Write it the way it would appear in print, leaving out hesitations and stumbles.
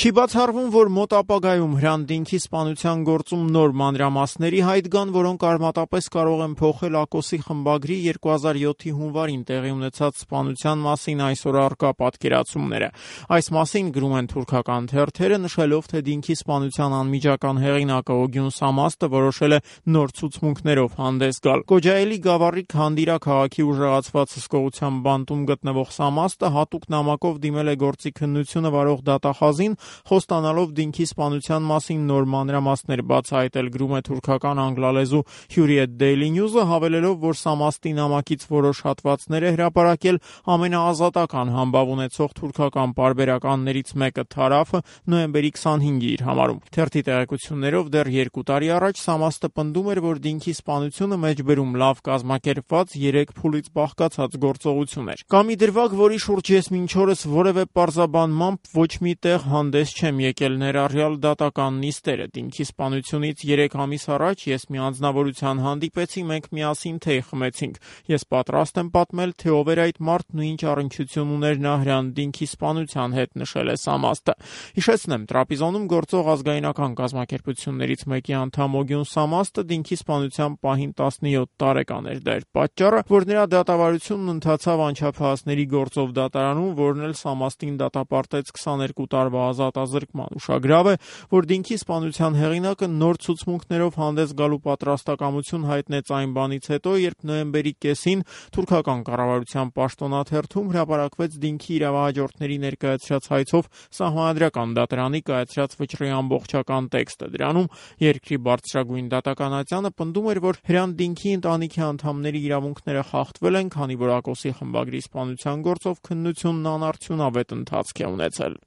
Չի բացառվում, որ մոտ ապագայում Հրանտ-Դինքի սպանության գործում նոր մանրամասների հայտ գան, որոնք արմատապես կարող են փոխել Ակոսի խմբագրի 2007-ի հունվարին տեղի ունեցած սպանության մասին այսօր առկա պատկերացումները։ Այս մասին գրում են թուրքական թերթերը, նշելով, թե Դինքի սպանության անմիջական հեղինակը Օգյուն Սամաստը որոշել է նոր ցուցմունքներով հանդես գալ։ Կոջայելի գավառի Քանդիրա քաղաքի ուժեղացված հսկողության բանտում գտնվող Սամաստը հատուկ նամակով դիմել է գործի քննությունը վարող դատախազին, խոստանալով Դինքի սպանության մասին նոր մանրամասներ բացահայտել, գրում է թուրքական անգլալեզու Hurriyet Daily News-ը, հավելելով, որ Սամաստի նամակից որոշ հատվածներ է հրապարակել ամենաազատական համբավ ունեցող թուրքական պարբերականներից մեկը Թարաֆը նոյեմբերի 25-ի իր համարում։ Թերթի տեղեկություններով դեռ 2 տարի առաջ Սամաստը պնդում էր, որ Դինքի սպանությունը մեջբերում լավ կազմակերպված 3 փուլից բաղկացած գործողություն էր։ Կամ ի դրվագ, որի շուրջ ես մինչ օրս որևէ պարզաբանմամբ ոչ մի տեղ հանդես չեմ եկել, ներառյալ դատական նիստերը։ Դինքի սպանությունից 3 ամիս առաջ ես մի անձնավորության հանդիպեցի, մենք միասին թեյ խմեցինք։ Ես պատրաստ եմ պատմել, թե ով էր այդ մարդն ու ինչ առնչություն ուներ նա Հրանտ-Դինքի սպանության հետ, նշել է Սամաստը։ Հիշեցնեմ, Տրապիզոնում գործող ազգայնական կազմակերպություններից մեկի անդամ Օգյուն Սամաստը Դինքի սպանության պահին 17 տարեկան էր։ Դա էր պատճառը, որ նրա դատավարությունն ընթացավ անչափահասների գործով դատարանում, որն էլ Սամաստին դատապարտեց 22 տարվա ազատազրկման։ Ուշագրավ է, որ Դինքի սպանության հեղինակը նոր ցուցմունքներով հանդես գալու պատրաստակամություն հայտնեց այն բանից հետո, երբ նոյեմբերի կեսին թուրքական կառավարության պաշտոնաթերթում հրապարակվեց Դինքի իրավահաջորդների ներկայացրած հայցով Սահմանադրական դատարանի կայացրած վճռի ամբողջական տեքստը։ Դրանում երկրի բարձրագույն դատականատյանը պնդում էր, որ Հրանտ Դինքի ընտանիքի անդամների իրավունքները խախտվել են, քանի որ Ակոսի խմբագրի սպանության գործով քննությունն անարդյունավետ ընթացք է ունեցել։